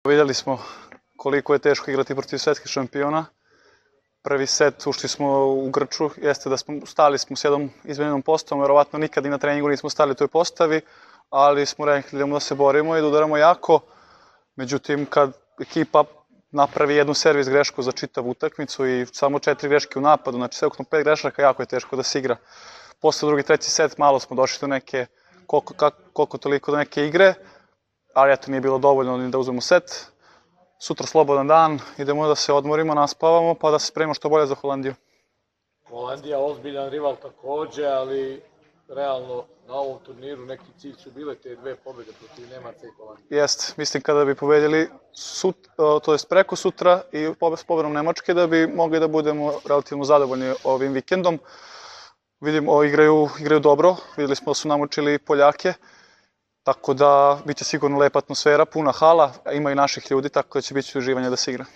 Vidjeli smo koliko je teško igrati protiv svetskih šampiona. Prvi set ušli smo u grču, jeste da smo stali s jednom izmenjenom postavom, verovatno nikad i na treningu nismo stali u toj postavi, ali smo rekli da se borimo i da udaramo jako. Međutim, kad ekipa napravi jednu servis grešku za čitavu utakmicu i samo 4 greške u napadu, znači sve ukupno 5 grešaka, jako je teško da se igra. Posle drugi, treći set malo smo došli do neke, koliko toliko do neke igre, ali eto nije bilo dovoljno ni da uzmemo set. Sutra slobodan dan, idemo da se odmorimo, naspavamo, pa da se spremimo što bolje za Holandiju. Holandija ozbiljan rival takođe, ali realno na ovom turniru neki cilj su bile te 2 pobjede protiv Nemaca i Holandije. Jeste, mislim kada bi pobedili preko sutra i s pobedom Nemačke da bi mogli da budemo relativno zadovoljni ovim vikendom. Vidimo, igraju dobro, videli smo da su namučili Poljake, tako da biće sigurno lepa atmosfera, puna hala, ima i naših ljudi, tako da će biti uživanje da se igra.